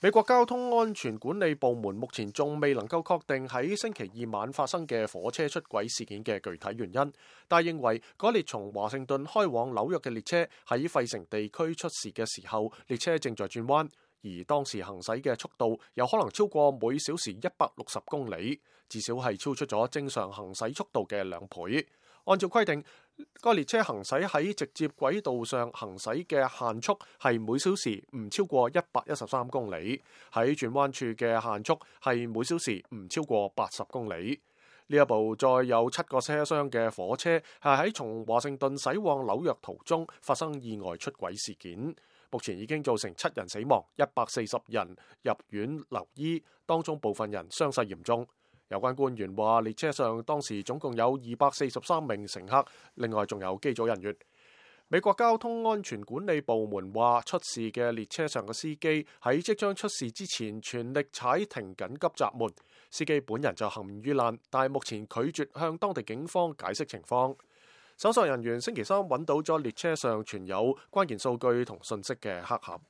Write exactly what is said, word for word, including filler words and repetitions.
美國交通安全管理部門目前仲未能夠確定喺星期二晚發生嘅火車出軌事件嘅具體原因，但係認為嗰列從華盛頓開往紐約嘅列車喺費城地區出事嘅時候，列車正在轉彎，而當時行駛嘅速度有可能超過每小時一百六十公里，至少係超出咗正常行駛速度嘅兩倍。按照規定，該列車行駛喺直接軌道上行駛嘅限速係每小時唔超過一百一十三公里，喺轉彎處嘅限速係每小時唔超過八十公里。呢一部載有七個車廂嘅火車係喺從華盛頓駛往紐約途中發生意外出軌事件，目前已經造成七人死亡，一百四十人入院留醫，當中部分人傷勢嚴重。有關官員話，列車上當時總共有二百四十三名乘客，另外仲有機組人員。美國交通安全管理部門話，出事嘅列車上嘅司機喺即將出事之前全力踩停緊急閘門，司機本人就幸免於難，但係目前拒絕向當地警方解釋情況。搜索人員星期三揾到咗列車上存有關鍵數據同信息嘅黑盒。